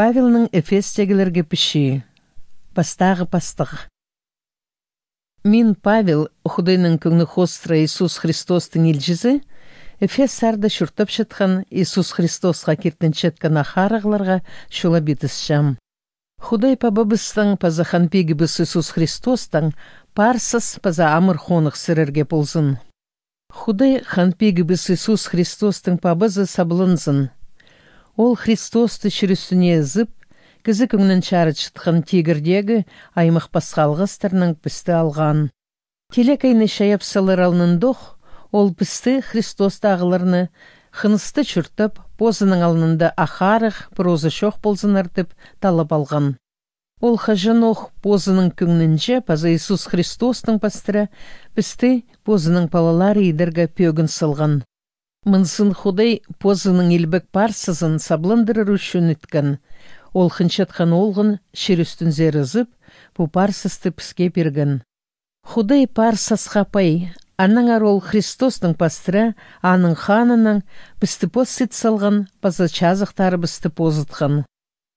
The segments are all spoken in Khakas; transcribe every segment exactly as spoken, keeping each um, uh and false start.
Павелнің Эфестегілерге пічии. Пастағы пастығ. Мин, Павел, Худайның кӧңні хоостыра Иисус Христостың илчізі, Эфес сарда чуртапчатхан Иисус Христосха киртінчеткен ах-арығларға чулап итісчем. Худай Пабабыстың паза Хан Пигібіс Иисус Христостың парсас паза амыр хоных сірерге ползын. Худай Хан Пигібіс Иисус Христостың Пабазы сабланзын. Ол Христосты чир ӱстӱне ызып, кізі кӧңнін чарытчатхан тигірдегі аймах пасха алғыстарнаң пісті алған. Тилекейні чайап салар алнындох, ол пісті, Христостағыларны, хынысты чуртап, позының алнында ах-арығ, проза чох ползыннар тіп, таллап алған. Ол хаҷанох позының кӧңнінҷе паза Иисус Христостың пастыра пісті позының палалары идерге пӧгін салған. Мынзын Худай позының илбек парсазын сабландырар ӱчӱн иткен. Ол хынчатхан Оолғын чир ӱстӱнзер ызып, пу парсасты піске пирген. Худай парсасха пай, аннаңар ол Христостың пастыра, аның ханыннаң, пісті пос ит салған паза чазахтарыбысты позытхан.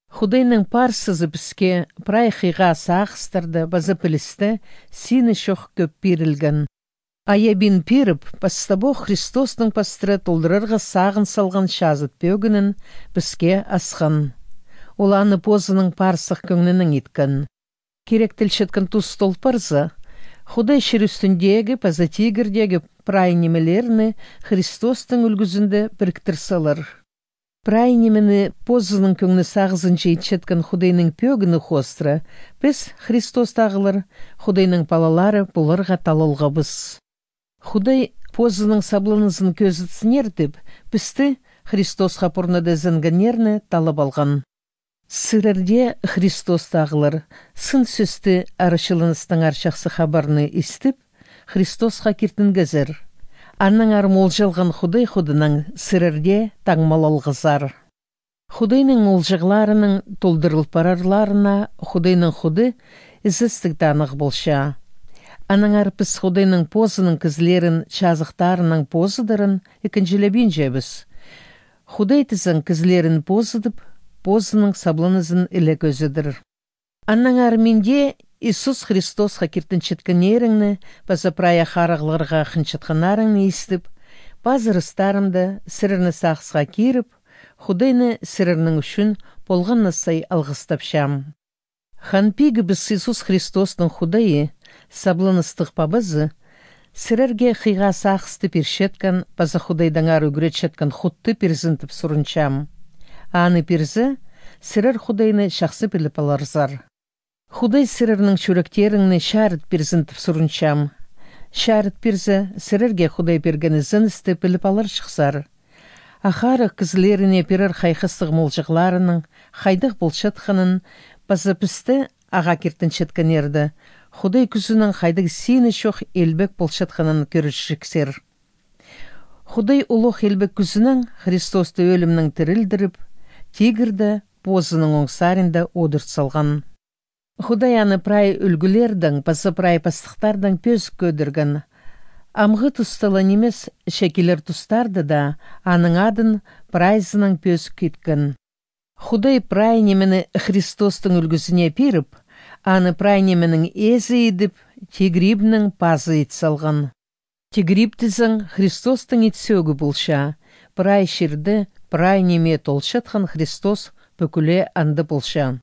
Худайның парсазы піске прай хыйға сағыстарды паза пілісті, сині чох кӧп пирілген. Айабин пиріп, пастабох Христостың пастыра толдырарға сағын салған чазыт пӧгінін піске асхан. Ол аны позының парсах кӧңнінең иткен. Киректелчеткен тус тол парза, Худай чир ӱстӱндегі паза тигірдегі прай нимелерні Христостың ӱлгӱзінде піріктір салар. Прай нимені позының кӧңні сағызынҷа итчеткен Худайның пӧгіні хоостыра, піс, Христостағылар, Худайның палалары поларға талалғабыс. Худай позының сабланызын кӧзітсіннер тіп, пісті, Христосха пурнада ізенгеннерні, таллап алған. Сірер дее, Христостағылар, сын сӧсті, арачыланыстаңар чахсы хабарны истіп, Христосха киртінгезер. Аннаңар молҷалған Худай худынаң сірерге таңмалалғазар. Худайның молҷағларының толдырыл парарларына Худайның худы ізестіг таныхтығ полча. Аннаңар піс Худайның позының кізілерін чазахтарынаң позыдарын ікінҷілебинчебіс. Худай тізең кізілерін позыдып, позының сабланызын іле кӧзідір. Аннаңар мин дее Иисус Христосха киртінчеткеннеріңні паза прай ах-арығларға хынчатханнарыңны истіп, пазырыстарымда сірерні сағысха киріп, Худайны сірернің ӱчӱн полған на сай алғыстапчам. Хан Пигібіс Иисус Христостың Худайы, сабланыстығ Пабазы, сірерге хыйға сағысты пирчеткен паза Худайдаңар ӱгретчеткен хутты пирзін тіп сурынчам. Аны пирзе, сірер Худайны чахсы піліп аларзар. Худай сірернің чӱректеріңні чарыт пирзін тіп сурынчам. Чарыт пирзе, сірерге Худай пирген ізеністі піліп аларҷыхсар. Ах-арығ кізілеріне пирер хайхастығ молҷағларының хайдағ полчатханын паза пісті, ағаа киртінчеткеннерді, Худай кӱзінең хайдағ сині чох илбек полчатханын кӧрерҷіксер. Худай улуғ илбек кӱзінең Христосты ӧлімнең тірілдіріп, тигірді позының оң саринда одырт салған. Худай аны прай ӱлгӱлердең паза прай пастыхтардаң пӧзік кӧдірген. Амғы туста ла нимес, че килер тустарда даа аның адын прайзынаң пӧзік иткен. Худай прай нимені Христостың ӱлгӱзіне пиріп, аны прай нименің ээзі идіп, тигір ибнің пазы ит салған. Тигір иб тізең Христостың ит сӧӧгі полча, прай чирде, прай ниме толчатхан Христос пӱкӱле анда полча.